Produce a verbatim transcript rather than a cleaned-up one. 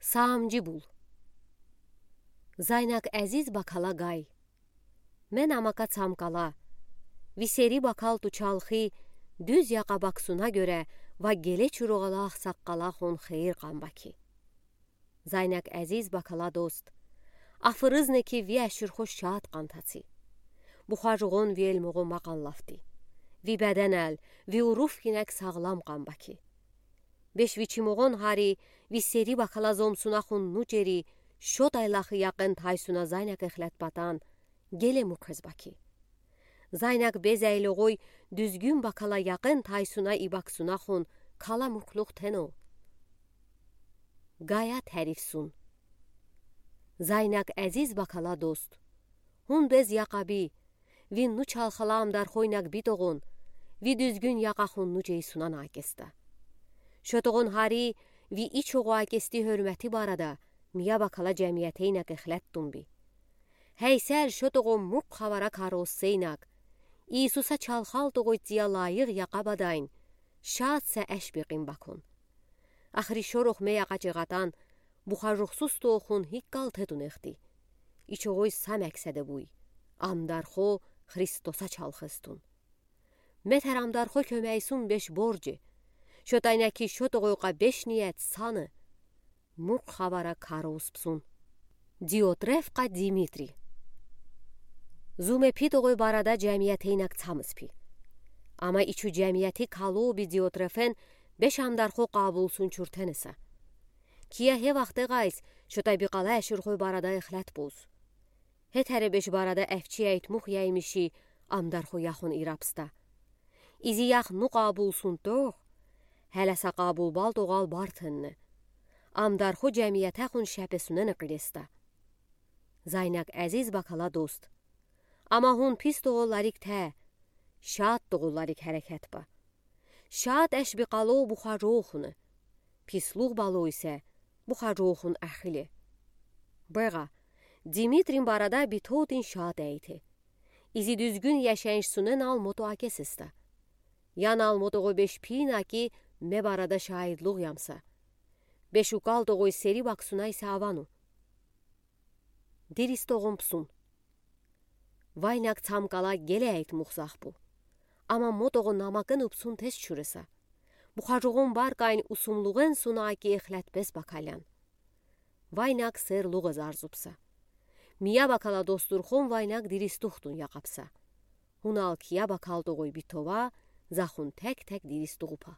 Саамжи бул. Зайнак эзиз бакала гай. Ме намака цамкала. Ви сери бакал ту чалхи, дуьз яка баксуна гёре ва геле чуругъала ахсаккала хун хейир къан баки. Зайнак эзиз бакала дост. Афырыз неки ви ашырхо шад къан таци. Бухажугъун ви элмугъу макъан лафти. Ви беденел, ви уруф кинек сагълам къан баки. Беш ви чимугъун гьари, ви сери бакала зомсуна хун нуч ери, шод айлахы якъин тайсуна зайнак эхлет батан, геле мукъез баки. Зайнак безейлугъуй дуьзгюн бакала якъин тайсуна ибаксуна хун кала мукълух тено. Гая тарифсун. Зайнак эзиз бакала дост. Хун без якъаби, ви нуч чалхала амдархойнак битогъун, ви дуьзгюн якъа хун нуч эй сунана акеста. Шотогъун гьари, ви ичугъу акести гьёрмети барада, мия бакала жемиятейнак эхлет тунби. Гьейсел шотогъу мукъ хабара кароссейнак, Иисуса чалхалтогъуй циян лайих якъабадайн, шад са эш бекъин бакун. Ахри шорух ме якъа чигъатан, бухажухсуз тохун гьиккал тетунехти. Ичугъуй са макседе буй, амдархо Христоса чалхыстун. Метер амдархо кёмейсун беш боржи. Шотайнаки шотогъуйкъа беш ниет саны. Мукъ хабара кароуспсун. Диотреф къа Димитри. Зуме пи тогъуй барада жемиятейнак цамыс пи. Ама ичу жемияти калоби Диотрефен беш амдархо къабулсун чуртенеса. Кия гье вахте гайс, шота би къала эширхой барада эхлет буз. Гье тере беш барада эфчи айтмух яймиши амдархо яхун ирапста. Изи ях ну къабулсун тох, гьелеса къабул балтогъал бартенне. Амдархо жемияте хун шепесунене къилеста. Зайнак эзиз бакала дост. Ама хун пис тогъулларик те, шад тогъулларик гьерекет ба. Шад эш би къалоу бухажоухуне. Пислух балоу исе бухажоухун ахиле. Бегъа, Димитрин барада би тотин шад эйте. Изи дуьзгюн яшайишсунен ал мото акесеста. Ян ал мотогъо беш пина ки ме барада шаидлух ямса. Беш укал тогъуй сери баксунай са авану. Диристогъун псун. Вайнак цамкала геле айтмух захбу. Ама мотогъо намакын упсун тез чуреса. Бухажугъун баркайн усумлугъен суна ки эхлетбес бакалян. Вайнак серлугъа зарзупса. Мия бакала достурхон вайнак диристухтун якъапса. Хунал кия бакал тогъуй битова, захун тек-тек диристугъупа.